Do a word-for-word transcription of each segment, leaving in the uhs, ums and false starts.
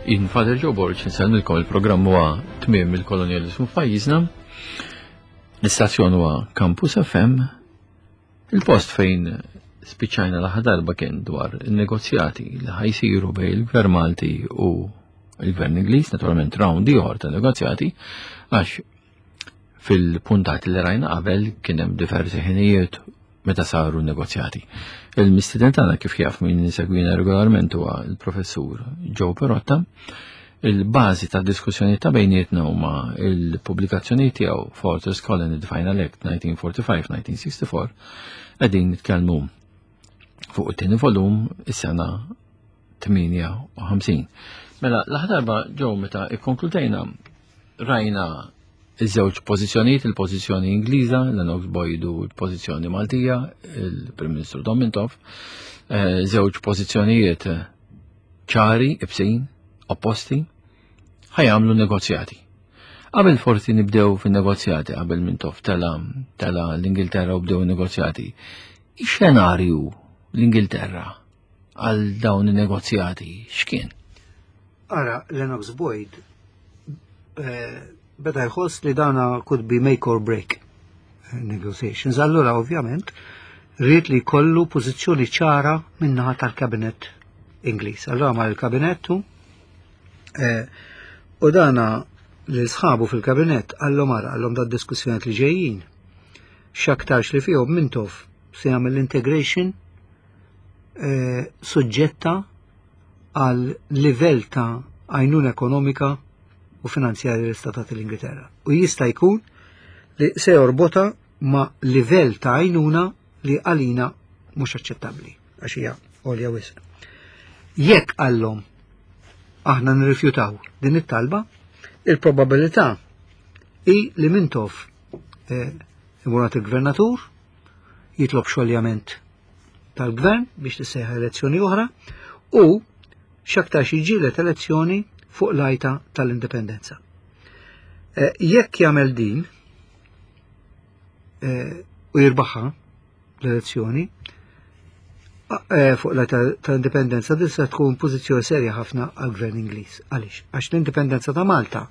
Jien Father Joe Borg, nsellmilkom. Il-programm huwa Tmiem il-Kolonjaliżmu f'pajjiżna. L-istazzjon huwa Campus F M. Il-post fejn spiċċajna l darba kien dwar il-negozjati li ħa jsiru bejn il-Gvern Malti u il-Gvern Ingliż, naturalment round ieħor ta' negozjati, għax fil-puntati li rajna qabel kien hemm diversi ħinijiet meta saru negozjati. Il-mistieden tagħna, kif jaf min segwina regolarment, huwa il-professur Joe Perotta. Il-bażi ta' diskussjoni ta' bejnietna huma il-pubblikazzjoni tiegħu Fortress Colony, The Final Act nineteen forty-five nineteen sixty-four. Qegħdin nitkellmu fuq it-tieni volum, is-sena tmienja u ħamsin. Mela, l-aħħar darba ġew meta ikkonkludejna rajna iż-żewġ pożizzjonijiet, il-pożizzjoni Ingliża, Lennox Boyd, u l-pożizzjoni Maltija, il-Prim Ministru Dom Mintoff, eh, żewġ pożizzjonijiet ċari, ibsin, opposti, ħa jagħmlu negozjati. Qabel forsi nibdew fin-negozjati, qabel Mintoff tela tela l-Ingilterra u bdew negozjati, ix-xenarju l-Ingilterra għal dawn in-negozjati x'kien? Ara, Lennox Boyd eh, beda jħoss li dana could be make or break eh, negotiations. Allura, ovvjament, ried li kollu pożizzjoni ċara min-naħa tal-kabinet Ingliż. Allura mar il-kabinettu eh, u dana lil sħabu fil-kabinet qallhom, ara, qallhom, da diskussjoni li ġejjin x'aktarx li fihom Mintoff se jagħmel l-integration eh, suġġetta għal livell ta' għajnuna ekonomika u finanzjarja li statat l-Ingilterra. U jista' jkun li se jorbota ma' livell ta' għajnuna li għalina mhux aċċettabbli għax hija għolja wisq. Jekk, qallhom, aħna nirrifjutaw din it-talba, il-probabilità hi li Mintoff eh, imur il-gvernatur jitlob xoljament tal-gvern biex tissejjaħ elezzjoni oħra u x'aktarx jiġġieled elezzjoni fuq l-għajta tal-indipendenza. Eh, jekk jagħmel din eh, u jirbaħha l-elezzjoni eh, fuq l-għajta tal-indipendenza, din se tkun pożizzjoni serja ħafna għal-gvern Ingliż. Għaliex? Għax l-indipendenza ta' Malta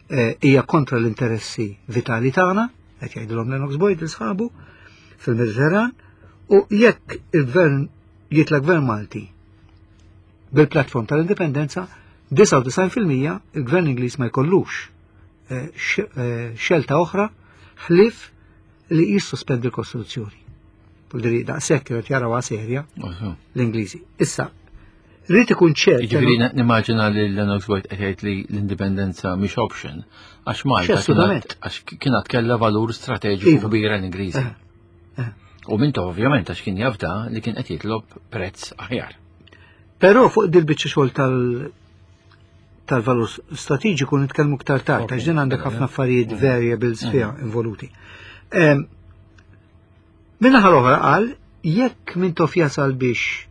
hija kontra l-interessi vitali tagħna, qed jgħidulhom Lennox Boyd lil sħabu fil-Mediterran, u jekk il-gvern jitla gvern Malti bil-platform tal-indipendenza, disgħa u disgħin fil-mija il-gvern Ingliż ma jkollux eh, eh, xelta oħra ħlif li jissospendi l-Kostituzzjoni. Vuldiri daqshekk qed jaraw serja l-Ingliżi. Issa, rrid ikun ċert. Jiġifieri nimmaġina li Lennox Boyd qed jgħid li l-indipendenza mhix option għax Malta għax kienet kellha valur strateġiku iva. kbir għall-Ingliżi. Eh, u Mintoff ovvjament, għax kien jafda li kien qed jitlob prezz aħjar. Però fuq dil-biċċa xogħol tal- tal-valur strateġiku nitkellmu ktar tard, għax din għandek ħafna affarijiet, variables fiha involuti. Min-naħa l-oħra qal, jekk Mintoff jasal biex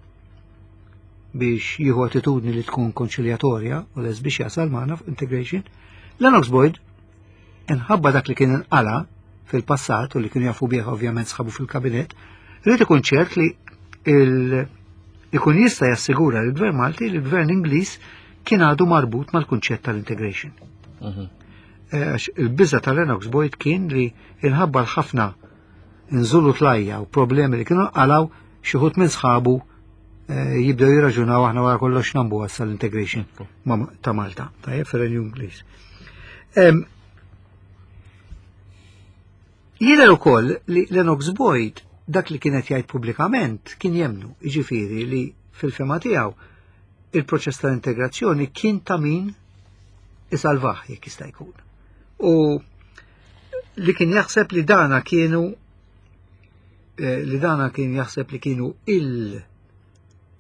biex jieħu attitudni li tkun konċiljatorja u les biex jasal magħna integration, Lennox Boyd, inħabba dak li kien inqala fil-passat u li kienu jafu bih ovvjament sħabu fil-kabinet, rrid ikun ċert li ikun jista' jassigura l-Gvern Malti li l-Gvern Ingliż kien għadu marbut mal-kunċett tal-integration. Mhm. Eh, għax il-biża tal-Lennox Boyd kien li inħabba l-ħafna nżulu tlajja u problemi li kienu għalaw, xi wħud minn sħabu eh, jibdew jirraġunaw, aħna wara kollox nambu għassa l-integration ta' Malta, tajjeb, fir-Renju Ingliż. Em, Jidher ukoll li Lennox Boyd dak li kienet jgħid pubblikament kien jemnu, jiġifieri li fil-fehma tiegħu il-proċess tal-integrazzjoni kien ta' min isalvah jekk jista' jkun. U li kien jaħseb li dana kienu eh, li dana kien jaħseb li kienu il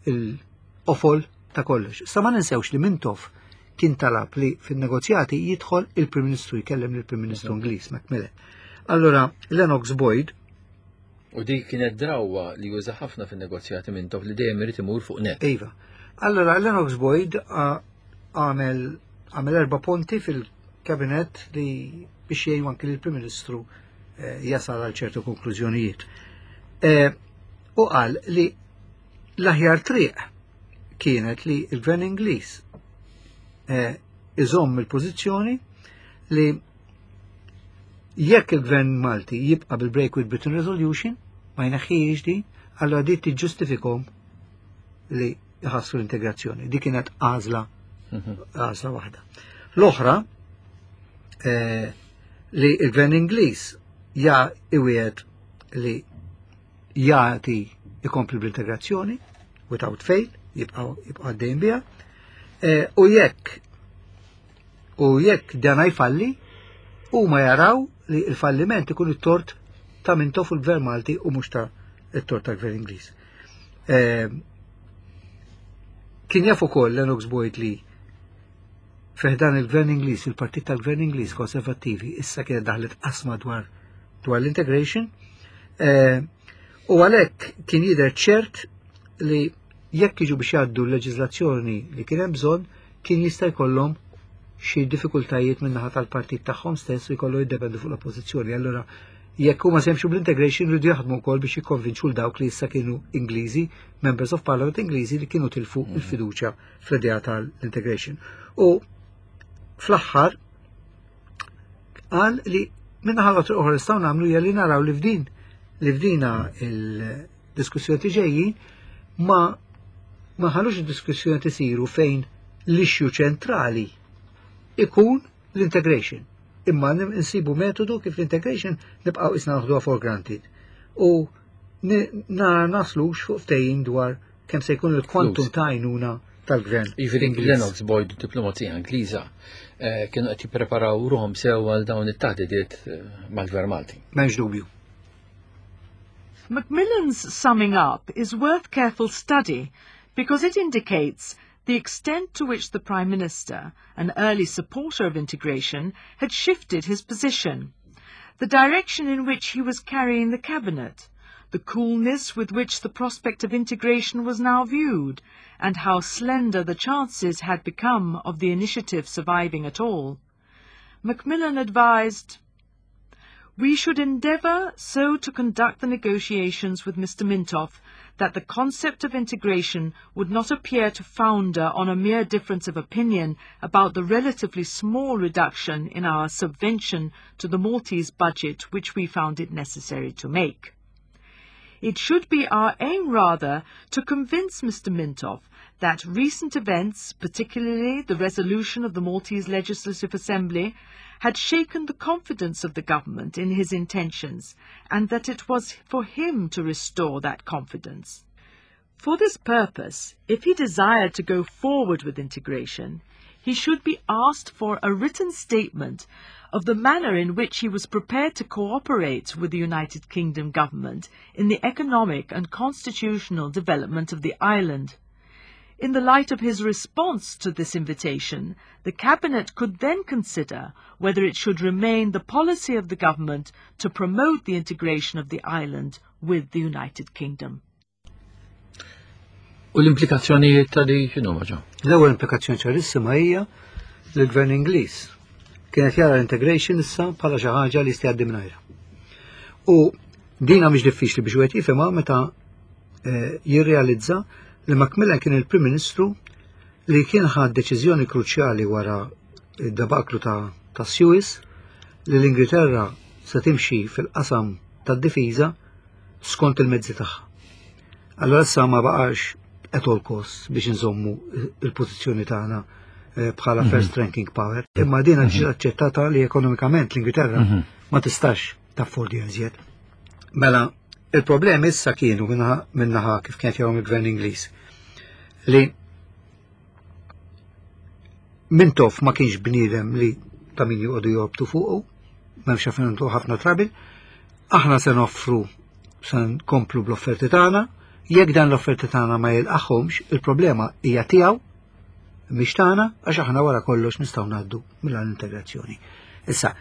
il-qofol ta' kollox. Sa ma ninsewx li Mintoff kien talab li fin-negozjati jidħol il-Prim Ministru, jkellem lill-Prim Ministru Ingliż Macmillan. Allora, Lennox Boyd U dik kienet drawa li juża ħafna fin-negozjati Mintoff, li dejjem irid imur fuq net. Iva. Allora, Lennox Boyd għamel għamel erba punti fil-kabinet li biex jgħinu anki l-Prim Ministru eh, jasal għal ċertu konklużjonijiet. Eh, u qal li l-aħjar triq kienet li il-Gvern Ingliż eh, iżomm il-pożizzjoni li jekk il-gvern Malti jibqa' bil-Break with Britain Resolution, ma jneħħihiex di, allora di tiġġustifikhom li jħassru l-integrazzjoni. Di kienet għażla għażla waħda. L-oħra eh, li il-gvern Ingliż ja iwiegħed li jagħti ikompli bl-integrazzjoni without fail, jibqa' jibqa' għaddejn biha. Eh, u jekk u jekk dan jfalli, huma jaraw li l-falliment ikun it-tort ta' Mintoff u l-gvern Malti u mhux ta' it-tort tal-gvern Ingliż. Eh, Kien jaf ukoll Lennox Boyd li fi ħdan il-gvern Ingliż, il-partit tal-gvern Ingliż konservattivi, issa kienet daħlet qasma dwar dwar l-integration, eh, u għalhekk kien jidher ċert li jekk jiġu biex jgħaddu l-leġiżlazzjoni li kien hemm bżonn, kien jista' jkollhom xi diffikultajiet min-naħa tal-partit tagħhom stess u jkollu jiddependu fuq l-oppożizzjoni. Allura jekk huma se jimxu bl-integration jridu jaħdmu wkoll biex jikkonvinċu l dawk li issa kienu Ingliżi, members of Parliament Ingliżi li kienu tilfu il-fiduċja fl-idea tal-integration. U fl-aħħar qal li min-naħa l-oħra nistgħu nagħmlu hija li naraw li f'din li f'dina il-diskussjoni ġejjin ma ma ħallux id-diskussjoni isiru fejn l-issue ċentrali ikun l-integration. Imma nsibu metodu kif l-integration nibqgħu isna naħduha for granted. U nara naslux fuq ftehim dwar kemm se jkun il-kwantum ta' għajnuna tal-gvern. Jiġifieri Lennox Boyd u diplomazija Ingliża eh, kienu qed jippreparaw ruhom sew għal dawn it-taħdidiet eh, mal-Gvern Malti. M'hemmx dubju. Macmillan's summing up is worth careful study because it indicates the extent to which the Prime Minister, an early supporter of integration, had shifted his position, the direction in which he was carrying the cabinet, the coolness with which the prospect of integration was now viewed, and how slender the chances had become of the initiative surviving at all. Macmillan advised, We should endeavour so to conduct the negotiations with Mister Mintoff that the concept of integration would not appear to founder on a mere difference of opinion about the relatively small reduction in our subvention to the Maltese budget which we found it necessary to make. It should be our aim rather to convince Mister Mintoff that recent events, particularly the resolution of the Maltese Legislative Assembly, had shaken the confidence of the government in his intentions, and that it was for him to restore that confidence. For this purpose, if he desired to go forward with integration, he should be asked for a written statement of the manner in which he was prepared to cooperate with the United Kingdom government in the economic and constitutional development of the island. In the light of his response to this invitation, the Cabinet could then consider whether it should remain the policy of the government to promote the integration of the island with the United Kingdom. U l-implikazzjonijiet ta' di x'inhuma ġo? L-ewwel implikazzjoni ċarissima hija li l-gvern Ingliż kienet jara l-integration issa bħala xi ħaġa li jista' jgħaddi mingħajrha. U dina mhix diffiċli biex wieħed jifhimha meta eh, jirrealizza li Macmillan kien il-Prim Ministru li kien ħad deċiżjoni kruċjali wara id-debaklu ta' ta' Suez li l-Ingilterra se timxi fil-qasam tad-difiża skont il-mezzi tagħha. Allora issa ma baqax at all costs biex nżommu il-pożizzjoni tagħna eh, bħala first ranking power. Imma din ġiet aċċettata li ekonomikament l-Ingilterra ma tistax taffordi iżjed. Mela, il-problemi issa kienu minnaħa kif kienet jgħom il-gvern Ingliż li Mintoff ma kienx bniedem li ta' min joqogħdu jorbtu fuqu, m'hemmx għalfejn ħafna trouble, aħna se noffru se nkomplu bl-offerti tagħna, jekk dan l-offerti tagħna ma jilqaħhomx, il-problema hija tiegħu mhix tagħna għax aħna wara kollox nistgħu ngħaddu mill-integrazzjoni. Issa,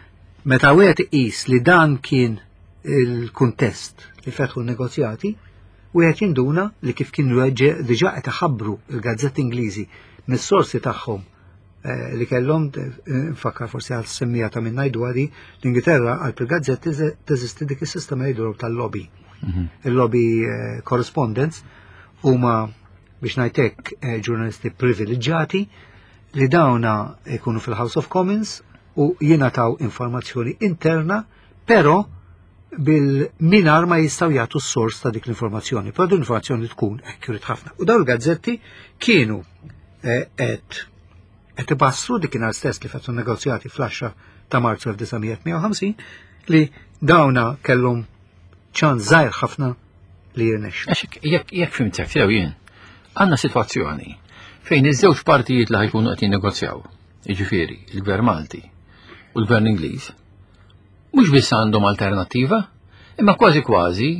meta wieħed iqis li dan kien il-kuntest li fetħu n-negozjati, wieħed jinduna li kif kienu diġà qed iħabbru il-gazzetti Ingliżi mis-sorsi tagħhom eh, li kellhom eh, nfakkar forsi għal semmija ta' minn ngħidu għadi l-Ingilterra għal il-gazzetti teżisti dik is-sistema jgħidu tal-lobby. Il-lobby eh, correspondents huma biex ngħidlek ġurnalisti privileġġjati Li dawna ikunu fil-House of Commons u jingħataw informazzjoni interna, però bil-mingħajr ma jistgħu jagħtu s-sors ta' dik l-informazzjoni. Però din l-informazzjoni tkun accurate ħafna. U dawn il-gazzetti kienu qed qed ibassru dikinhar stess li fetħu negozjati fl-għaxra ta' Marzu elf disa' mija tmienja u ħamsin li dawna kellhom ċans żgħir ħafna li jirnexxu. Għax jekk jekk fhimtek sew jien, għandna sitwazzjoni fejn iż-żewġ partijiet li ħa jkunu qed jinnegozjaw, jiġifieri il-Gvern Malti u l-Gvern Ingliż, mhux biss għandhom alternattiva, imma kważi kważi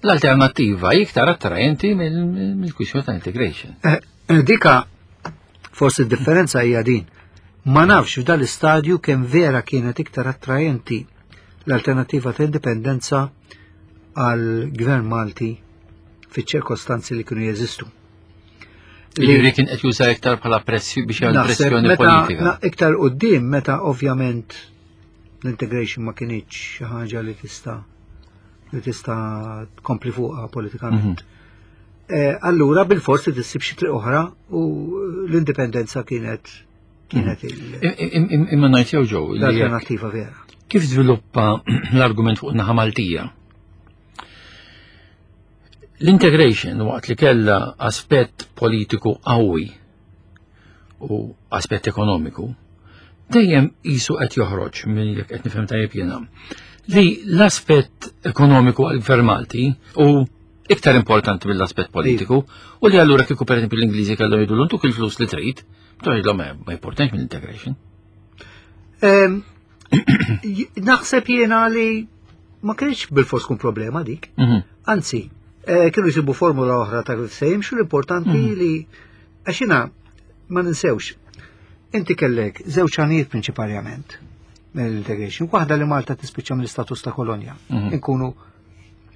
l-alternattiva iktar attraenti mill-kwistjoni ta' integration. Eh, eh, Dika forsi d-differenza hija din. Ma nafx f'dal istadju kemm vera kienet iktar attraenti l-alternativa ta' indipendenza għal gvern Malti fiċ-ċirkostanzi li kienu jeżistu. Li kien qed juża iktar bħala pressju biex jagħmel Naħseb pressjoni meta politika. na- iktar quddiem, meta ovvjament l-integration ma kinitx xi ħaġa li tista' li tista' tkompli fuqha politikament. Eh, allura bil-fors li tissib xi triq oħra u l-indipendenza kienet kienet il- Im- im- Imma ngħid jew ġew li jekk- l-alternativa vera. Kif żviluppa l-argument fuq naħa Maltija? L-integration, waqt li kella aspett politiku qawwi u aspett ekonomiku, dejjem qisu qed joħroġ minn jekk qed nifhem tajjeb jiena li l-aspett ekonomiku għal-Gvern Malti u iktar importanti mill-aspett politiku u li allura kieku, per esempio, l-Ingliżi kellhom jgħidu ntuk il-flus li trid, tgħidlhom ma ma importanx mill-integration. Em, j- Naħseb jiena li ma kienx bil-fors tkun problema dik. Mhm. Anzi, eh, kienu jsibu formula oħra ta' kif se jimxu, l-importanti li għax jiena ma ninsewx. Inti kellek żewġ għanijiet prinċipalment mill-integration. Waħda li Malta tispiċċa mill-istatus ta' kolonja. Mhm. Inkunu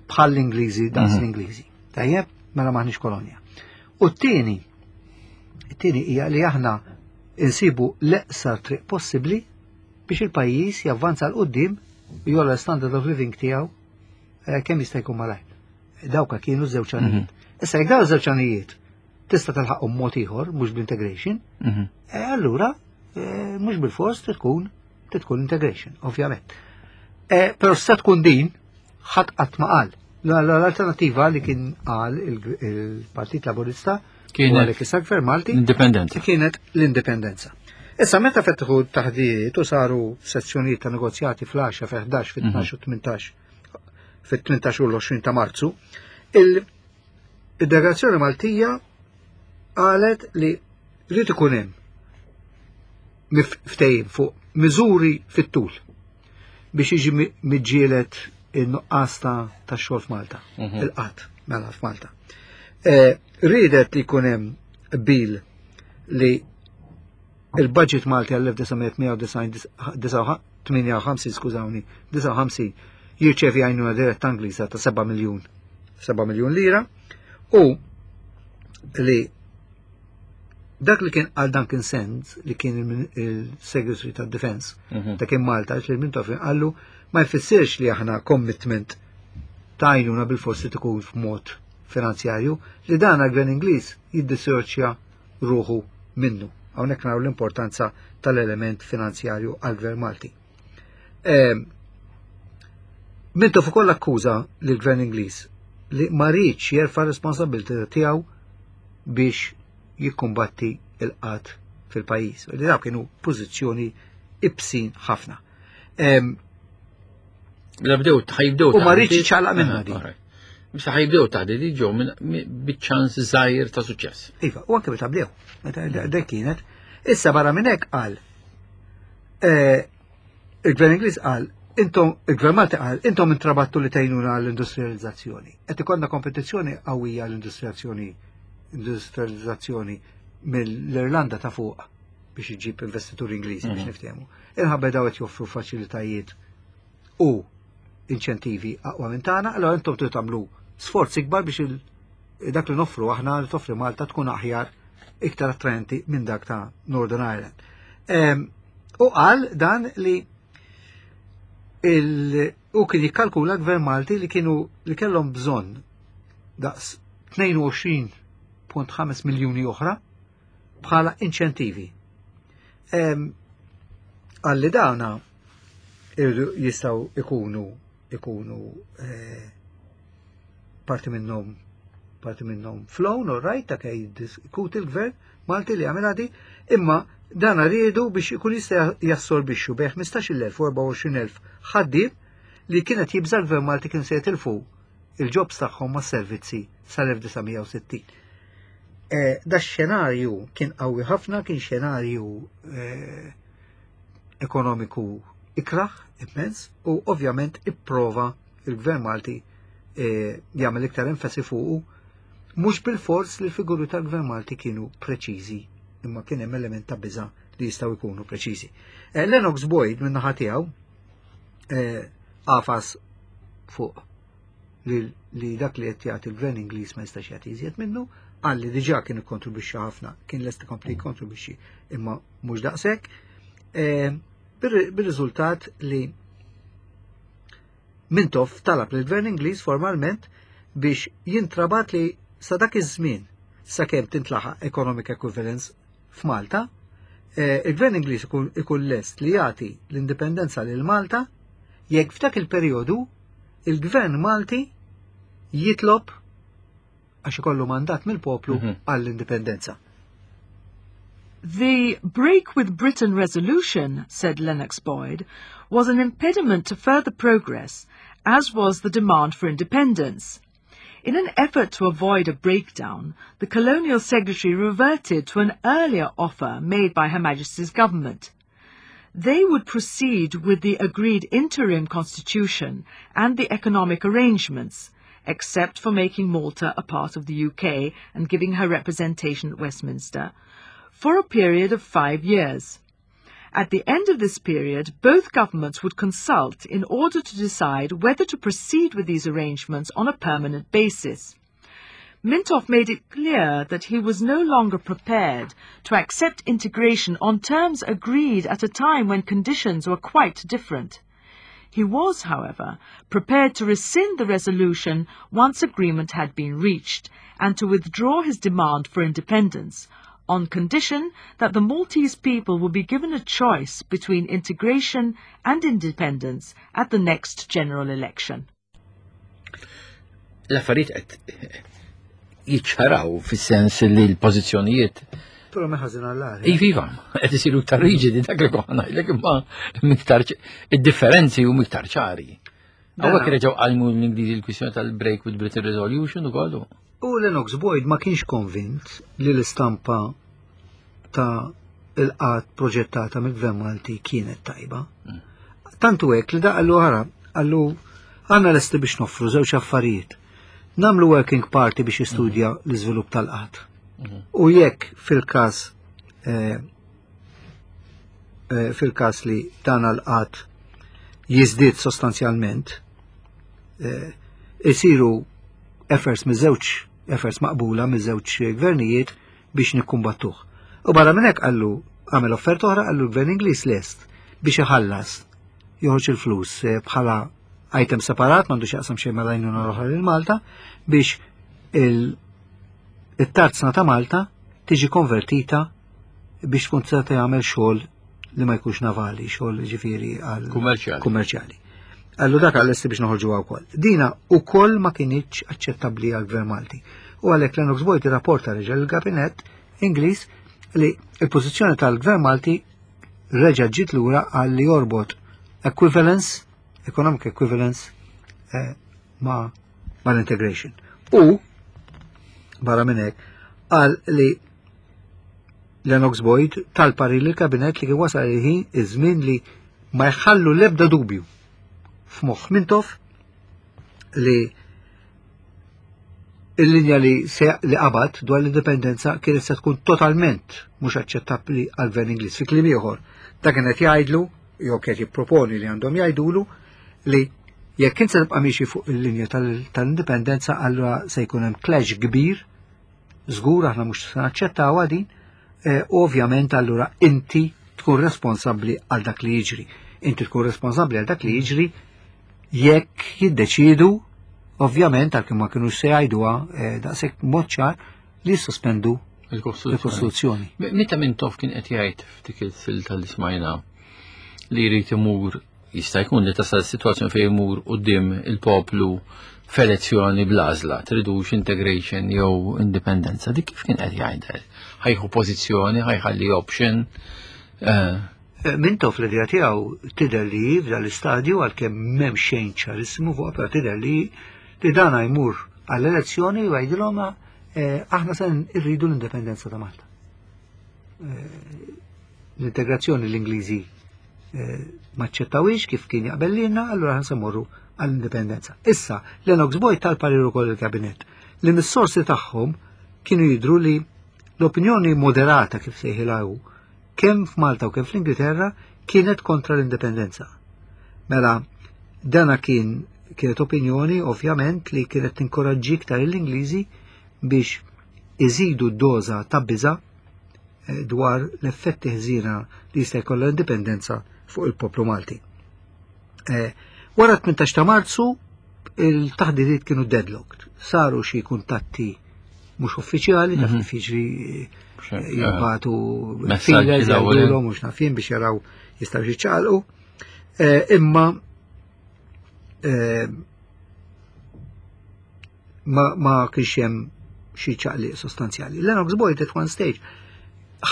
bħal l-Ingliżi, daqs Mhm. l-Ingliżi. Tajjeb, mela maħniex kolonja. U t-tieni, it-tieni hija li aħna insibu l-eqsar triq possibbli biex il-pajjiż javvanza 'l quddiem u jogħla standard of living tiegħu eh, kemm jista' jkun malajr. Dawka kienu żewġ għanijiet. Issa jekk dawn żewġ għanijiet tista' tilħaqhom mod ieħor mhux bl-integration, Mhm. eh, allura eh, mhux bil-fors trid tkun trid tkun integration, ovvjament. Eh, Però se tkun din, ħadd qatt ma qal. L-alternativa li kien qal il- il-Partit Laburista u Kienet għalhekk issa Gvern Malti indipendenza. Kienet l-indipendenza. Issa meta fetħu taħdiet u saru sezzjonijiet ta' negozjati fl-għaxra, fil-ħdax, fil-tnax u tmintax, fit-tmintax u l-għoxrin ta' Marzu, il- il-delegazzjoni Maltija qalet li rrid ikun hemm mif- ftehim fuq miżuri fit-tul biex jiġi mi- miġġielet in-nuqqas ta' ta' xogħol f'Malta, Mhm. il-qgħad mela f'Malta. Eh, Ridet li jkun hemm bil li il-budget Malti għall-elf disa' mija tmienja u tminja u ħamsin, skużawni, disgħa u ħamsin, jirċevi għajnuna diretta Ingliża ta' seba' miljun seba' miljun lira u li dak li kien għal Duncan Sandys, li kien il- il-Secretary ta' Defense Mhm. ta' kien Malta, li Mintoff qallu ma jfissirx li aħna commitment ta' għajnuna bil-forsi tkun f'mod finanzjarju, li dan għal-gvern Ingliż jiddissoċja ruħu minnu. Hawnhekk naraw l-importanza tal-element finanzjarju għal-gvern Malti. Ehm, Mintoff ukoll akkuża lill-gvern Ingliż li ma riedx jerfa' responsabilità tiegħu biex jikkumbatti il-qgħad fil-pajjiż. Li daw kienu pożizzjoni ibsin ħafna. Ehm, Mela bdew ħa jibdew U ma taħdiet- riedx jiċċaqlaq minnha Aha, din. Alright. Misa ħa jibdew taħdiet ġew minn biċ-ċans żgħir ta' suċċess. Iva, u anke meta bdew, meta dek kienet. Issa barra minn hekk qal, eh, il-Gvern Ingliż qal, intom, il-Gvern Malti qal, intom intrabattu li tgħinuna għall-industrializzazzjoni. Qed ikollna kompetizzjoni qawwija għall-industrializzazzjoni industrializzazzjoni mill-Irlanda ta' fuq biex iġib investituri Ingliżi biex Mhm. niftehmu. Inħabba daw qed joffru faċilitajiet u inċentivi aqwa minn tagħna, allora intom trid tagħmlu sforzi ikbar biex il- dak li noffru aħna, li toffri Malta, tkun aħjar, iktar attraenti minn dak ta' Northern Ireland. Em, U qal dan li il u kien jikkalkula gvern Malti li kienu li kellhom bżonn daqs tnejn u għoxrin punt ħames miljuni oħra bħala inċentivi. Għalli dawna jistgħu ikunu ikunu eh, parti minnhom parti minnhom flown, all right, ta' kej diskuti l-gvern Malti li għamel għadi, imma dan riedu biex ikun jista' jassorbixxu bejn ħmistax-il elf u erbgħa u għoxrin elf ħaddiem li kienet jibża l-gvern Malti kien se jitilfu il-jobs tagħhom ma' servizzi sal-elf disa' mija u sittin. Eh, da xenarju kien qawwi ħafna, kien xenarju eh, ekonomiku ikraħ immens u ovvjament ipprova il-gvern Malti eh, jagħmel iktar enfasi fuqu, mhux bil-fors li l-figuri tal-gvern Malti kienu preċiżi, imma kien hemm element ta' biża' li jistgħu jkunu preċiżi. Lennox Boyd minn naħa tiegħu għafas fuq li, li dak li qed jagħti l-gvern Ingliż ma jistax jagħti iżjed minnu, qal li diġà kien ikkontribwixxi ħafna, kien lest ikompli jikkontribwixxi imma mhux daqshekk. E, Bir-riżultat li Mintoff talab lill-gvern Ingliż formalment biex jintrabat li sa dak iż-żmien, sakemm tintlaħaq economic equivalence f'Malta, e, il-gvern Ingliż ikun lest li jagħti l-indipendenza lil Malta jekk f'dak il-perjodu il-gvern Malti jitlob, għax ikollu mandat mill-poplu mhm. għall-indipendenza. "The Break with Britain resolution," said Lennox Boyd, "was an impediment to further progress, as was the demand for independence. In an effort to avoid a breakdown, the Colonial Secretary reverted to an earlier offer made by Her Majesty's government. They would proceed with the agreed interim constitution and the economic arrangements, except for making Malta a part of the U K and giving her representation at Westminster, for a period of five years. At the end of this period, both governments would consult in order to decide whether to proceed with these arrangements on a permanent basis. Mintoff made it clear that he was no longer prepared to accept integration on terms agreed at a time when conditions were quite different. He was, however, prepared to rescind the resolution once agreement had been reached and to withdraw his demand for independence, on condition that the Maltese people would be given a choice between integration and independence at the next general election." L-affarijiet qed jiċċaraw fis-sens li l-pożizzjonijiet Però meħażin għall-għar. Iva, iva, qed isiru iktar riġidi, dak li konna ngħidlek, imma miktar id-differenzi u miktar ċari. Hawnhekk reġgħu qajmu l-Ingliżi l-kwistjoni tal-Break with Britain Resolution ukoll. U Lennox Boyd ma kienx konvint li l-istampa ta' il-qgħad proġettata mill-Gvern Malti kienet tajba. Tantu hekk li da qallu, "Ħara," qallu, "għandna lesti biex noffru żewġ affarijiet. Nagħmlu working party biex jistudja l-iżvilupp tal-qgħad. U jekk fil-każ eh, eh, fil-każ li dan l-qgħad jiżdied sostanzjalment, eh, isiru efforts miż-żewġ efforts maqbula miż-żewġ gvernijiet biex nikkumbattuh." U barra minn hekk qallu, għamel offerta oħra, qallu l-gvern Ingliż lest biex iħallas, joħroġ il-flus eh, bħala item separat, m'għandu x'jaqsam xejn mal-għajnuna l-oħra lil Malta, biex il- it-tarzna ta' Malta tiġi konvertita biex tkun tista' tagħmel xogħol li ma jkunx navali, xogħol ġifieri għal Kummerċjali. Kummerċjali. Qallu dak għal-lesti biex noħorġu wkoll. Dina ukoll ma kinitx aċċettabbli għal-Gvern Malti. U għalhekk Lennox Boyd irrapporta reġa' l-Gabinett Ingliż li il-pożizzjoni tal-Gvern Malti reġa' ġiet lura għal li jorbot equivalence, economic equivalence eh, ma mal-integration. U barra minn hekk qal li Lennox Boyd tal-parir lill-kabinet li kien wasal il-ħin, iż-żmien li ma jħallu l-ebda dubju f'moħħ Mintoff li il-linja li se li qabad dwar l-indipendenza kienet se tkun totalment mhux aċċettabbli għal-gvern Ingliż. Fi kliem ieħor, ta' kienet jgħidlu jew kienet jipproponi li għandhom jgħidulu li jekk int se tibqa' miexi fuq il-linja tal-indipendenza, allura se jkun hemm clash kbir, żgur aħna mhux se naċċettawha din, eh, ovvjament allura inti tkun responsabbli għal dak li jiġri. Inti tkun responsabbli għal dak li jiġri jekk jiddeċidu, ovvjament, għalkemm ma kinux se jgħiduha eh, daqshekk mod ċar, li jissospendu Il-Kostituzzjoni. Meta Mintoff kien qed jgħid f'dik il-silta li smajna li jrid imur, jista' jkun li tasal situazzjoni fejn imur quddiem il-poplu f'elezzjoni bl-għażla, tridux integration jew indipendenza, dik kif kien qed jgħidha? Ħa jieħu pożizzjoni, ħa jħalli option. Eh, eh, Mintoff l-idea tiegħu tidher li f'dan l-istadju, għalkemm m'hemm xejn ċarissimu fuq, però tidher li li dana jmur għall-elezzjoni u jgħidilhom eh, aħna se rridu l-indipendenza ta' Malta. L-integrazzjoni l-Ingliżi maċċettawix kif kien jaqbel lilna, allura ħa mmorru għall-indipendenza. Issa, Lennox Boyd tal-parir ukoll il-kabinet li mis-sorsi tagħhom kienu jidru li l-opinjoni moderata, kif sejħilha, kemm f'Malta u kemm fl-Ingilterra kienet kontra l-indipendenza. Mela, dana kien kienet opinjoni ovvjament li kienet tinkoraġġi iktar l-Ingliżi biex iżidu d-doża ta' biża eh, dwar l-effetti ħżiena li jista' jkollha l-indipendenza fuq il-poplu Malti. Eh, wara tmintax ta' Marzu il-taħdidiet kienu deadlocked. Saru xi kuntatti mhux uffiċjali, taf mhm. kif jiġri, eh, jibagħtu feelers, jgħidulhom mhux naf jien biex jaraw jistgħu jiċċaqalqu. Eh, imma eh, ma, ma kienx hemm xi ċaqliq sostanzjali. Lennox Boyd at one stage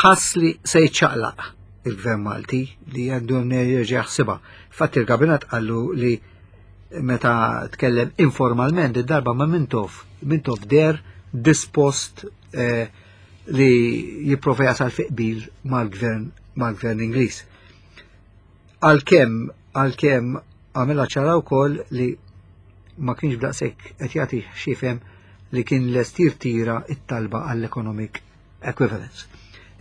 ħass li se jiċċaqlaq il-gvern Malti, li għandu jerġa' jaħsibha. Fatt il-kabinet qallu li meta tkellem informalment id-darba ma' Mintoff, Mintoff deher dispost eh, li jipprova jasal fi qbil mal-gvern mal-gvern Ingliż. Għalkemm għalkemm għamilha ċara wkoll li ma kienx b'daqshekk qed jagħti x'jifhem li kien lest jirtira it-talba għall-economic equivalence.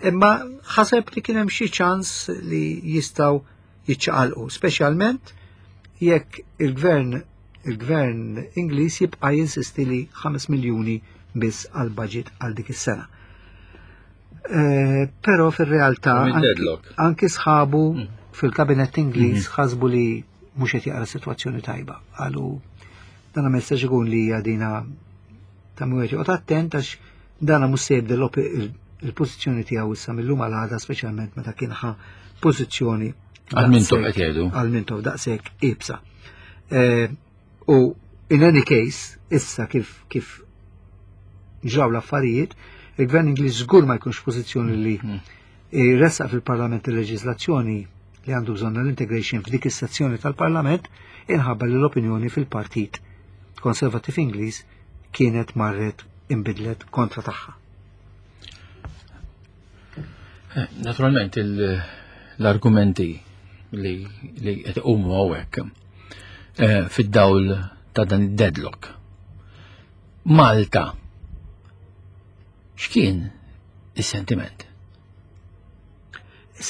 Imma ħaseb li kien hemm xi ċans li jistgħu jiċċaqalqu, speċjalment jekk il-gvern il-gvern Ingliż jibqa' jinsisti li ħames miljuni biss għal budget għal dik is-sena. Eh, Però fir-realtà anki sħabu mm. fil-kabinet Ingliż mm-hmm. ħasbu li mhux qed jaqra sitwazzjoni tajba. Qalu dan ma jistax ikun li għadina ta' mwet joqgħod attent għax dana mhux se jibdel il-pożizzjoni tiegħu issa mill-lum għal għada, speċjalment meta kien ħa pożizzjoni Għal Mintoff qed jgħidu. Għal Mintoff daqshekk iebsa. Eh, u in any case, issa kif kif ġraw l-affarijiet, il-gvern Ingliż żgur ma jkunx pożizzjoni li mm. jressaq fil-Parlament il-leġiżlazzjoni li għandu bżonn l-integration f'dik is-sezzjoni tal-Parlament, inħabba li l-opinjoni fil-Partit Konservativ Ingliż kienet marret imbidlet kontra tagħha. Eh, naturalment l-argumenti li li qed iqumu hawnhekk eh, fid-dawl ta' dan id-deadlock. Malta x'kien is-sentiment?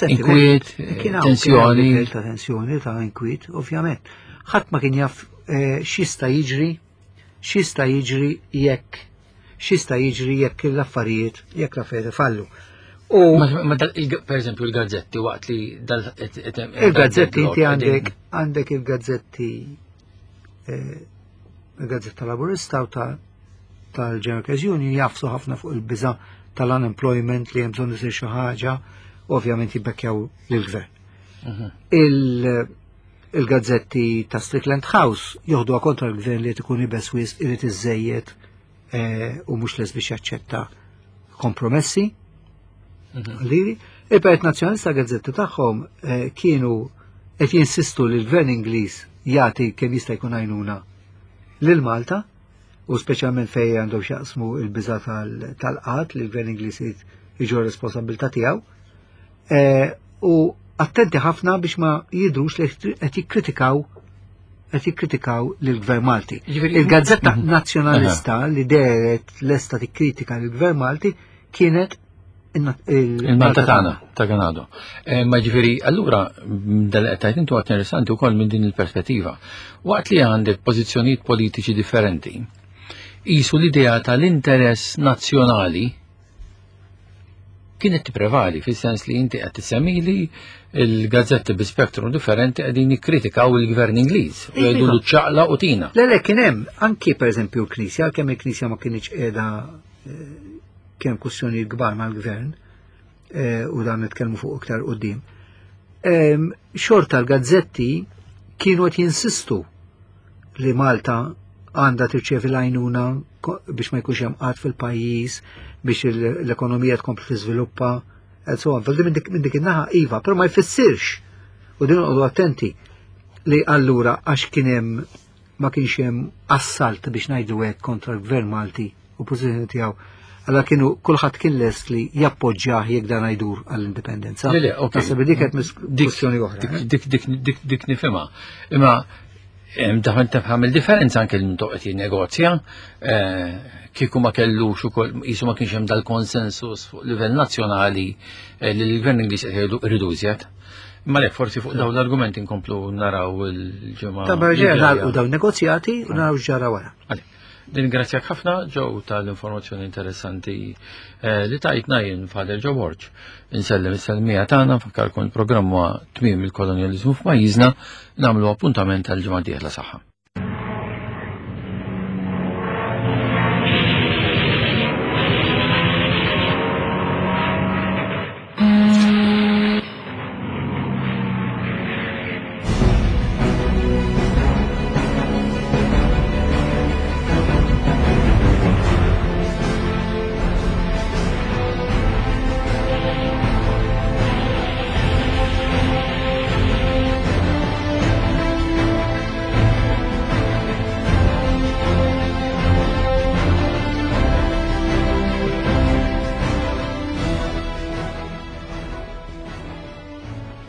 Inkwiet, tensjoni. Ta' tensjoni, ta' inkwiet, ovvjament. Ħadd ma kien jaf eh, x'jista' jiġri, x'jista' jiġri jekk x'jista' jiġri jekk l-affarijiet jekk l-affarijiet fallu. U ma per eżempju il-gazzetti waqt li dal Il-gazzetti, inti għandek għandek il-gazzetti, eh, il-gazzetta Laburista u ta' tal-General Union jagħfsu ħafna fuq il-biża tal-unemployment, li hemm bżonn isir xi ħaġa, ovvjament jibbekkjaw lill-gvern. Mhm. Il-gazzetti ta' Strickland House joħdu kontra l-gvern li ikun iebes wisq, irid iżejjed eh, u mhux lest biex jaċċetta kompromessi. Mhm. Liri, il-Partit Nazzjonalista, gazzetti tagħhom eh, kienu qed jinsistu li l-gvern Ingliż jagħti kemm jista' jkun għajnuna lil Malta, u speċjalment fejn għandhom x'jaqsmu il-biża tal-qgħad, li l-gvern Ingliż iġorr responsabilità tiegħu. Eh, u attenti ħafna biex ma jidrux li qed jikkritikaw qed jikkritikaw lill-Gvern Malti. Il-Gazzetta mhm. Nazzjonalista li dehret lesta tikkritika lill-Gvern Malti kienet il-Malta Tagħna ta' Ganado. Eh, ma ġifieri, allura, dal-qed intu għat interessanti wkoll minn din il-perspettiva. Waqt li għandek pożizzjonijiet politiċi differenti, qisu l-idea tal-interess nazzjonali kienet tipprevali, fis-sens li inti qed tissemmili il-gazzetti bi spektrum differenti qegħdin jikkritikaw il-gvern Ingliż u jgħidu l ċaqla u tina. Le, le, kien hemm anki pereżempju l-Knisja, għalkemm il-Knisja ma kienx qiegħda eh, kien kwistjonijiet kbar mal-gvern, eh, u dan nitkellmu fuq iktar quddiem. Em, Xorta l-gazzetti kienu qed jinsistu li Malta għandha tirċevi l-għajnuna ko- biex ma jkunx hemm qgħad fil-pajjiż, biex il- l-ekonomija tkompli tiżviluppa, and so on. Fil minn dik minn dik in-naħa iva, però ma jfissirx u din noqogħdu attenti li allura għax kien hemm ma kienx hemm assalt biex ngħidu hekk kontra l-gvern Malti u pożizzjoni tiegħu. Allora kienu kulħadd kien lest li jappoġġjah jekk dan jdur għall-indipendenza. Le, le, ok. Naħseb li dik qed mis- Dik- kwestjoni oħra. Dik, eh? dik, dik, dik, dik nifhimha. Imma em, daħan tafham il-differenza anke li toqgħod jinnegozja, eh, kieku ma kellux ukoll qisu ma kienx hemm dal-konsensus fuq livell nazzjonali eh, li l-gvern Ingliż qed jgħidu rridu iżjed. Ma lek forsi fuq dawn l-argumenti nkomplu naraw il-ġimgħa. Ta' li barġer ġejja. nagħlqu dawn negozjati u naraw x'ġara wara. Għale. Ningrazzjak ħafna Joe tal-informazzjoni interessanti eh, li tajtna jien Father Joe Borg. Insellem is-selmija tagħna nfakkarkom il-programm huwa tmiem il-kolonjaliżmu f'pajjiżna nagħmlu appuntament għal ġimgħa dieħla saħħa.